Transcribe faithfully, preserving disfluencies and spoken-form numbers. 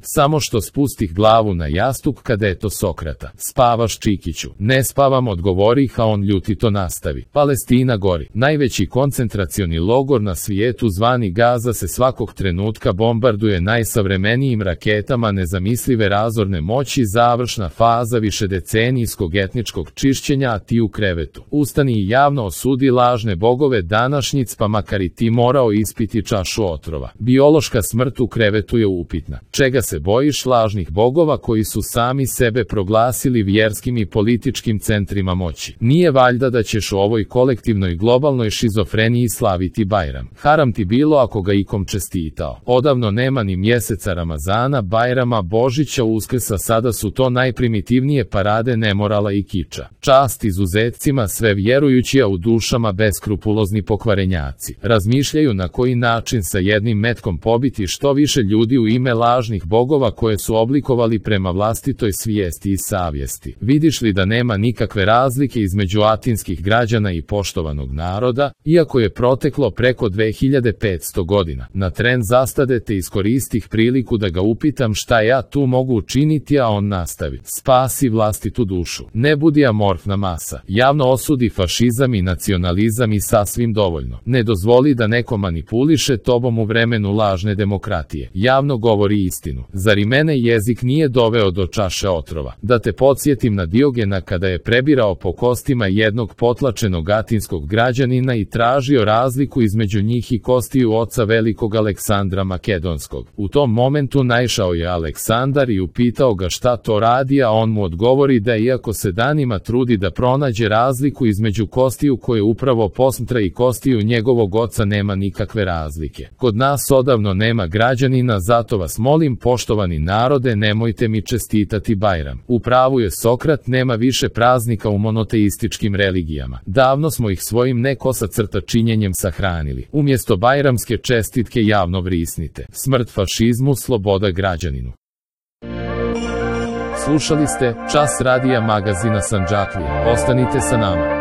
Samo što spustih glavu na jastuk kada je to Sokrata. Spavaš, Čikiću? Ne spavam, odgovorih, a on ljutito nastavi. Palestina gori. Najveći koncentracioni logor na svijetu zvani Gaza se svakog trenutka bombarduje najsavremenijim raketama nezamislive razorne moći, završna faza višedecenijskog etničkog čišćenja, a ti u krevetu. Ustani i javno osudi lažne bogove današnjic, pa makar i ti morao ispiti čašu otrova. Biološka smrt u krevetu je upitna. Čega se bojiš lažnih bogova koji su sami sebe proglasili vjerskim i političkim centrima moći? Nije valjda da ćeš u ovoj kolektivnoj globalnoj šizofreniji slaviti Bajram? Haram ti bilo ako ga ikom čestitao. Odavno nema ni mjeseca Ramazana, Bajrama, Božića, Uskrsa, sada su to najprimitivnije parade nemorala i kiča. Čast izuzetcima, sve vjerujući, a u dušama beskrupulozni pokvarenjaci. Razmišljaju na koji način sa jednim metkom pobiti što više ljudi u ime lažnih bogova koje su oblikovali prema vlastitoj svijesti i savjesti. Vidiš li da nema nikakve razlike između atinskih građana i poštovanog naroda, iako je proteklo preko dve hiljade petsto godina? Na tren zastade te iskoristih priliku da ga upitam šta ja tu mogu učiniti, a on nastavi. Spasi vlastitu dušu. Ne budi amorfna masa. Javno osudi fašizam i nacionalizam i sasvim dovoljno. Ne dozvoli da neko manipuliše tobom u vremenu lažne demokratije. Javno govori istinu. Zar i mene jezik nije doveo do čaše otrova? Da te podsjetim na Diogena kada je prebirao po kostima jednog potlačenog atinskog građanina i tražio razliku između njih i kostiju oca velikog Aleksandra Makedonskog. U tom momentu naišao je Aleksandar i upitao ga šta to radi, a on mu odgovori da iako se danima trudi da pronađe razliku između kostiju koje upravo posmatra i kostiju njegovog oca, nema nikakve razlike. Kod nas odavno nema građanina, zato vas molim, poštovani narode, nemojte mi čestitati Bajram. U pravu je Sokrat, nema više praznika u monoteističkim religijama. Davno smo ih svojim nekosa crta činjenjem sahranili. Umjesto bajramske čestitke javno vrisnite. Smrt fašizmu, sloboda građaninu. Slušali ste Čas radija magazina Sandžaklija. Ostanite sa nama.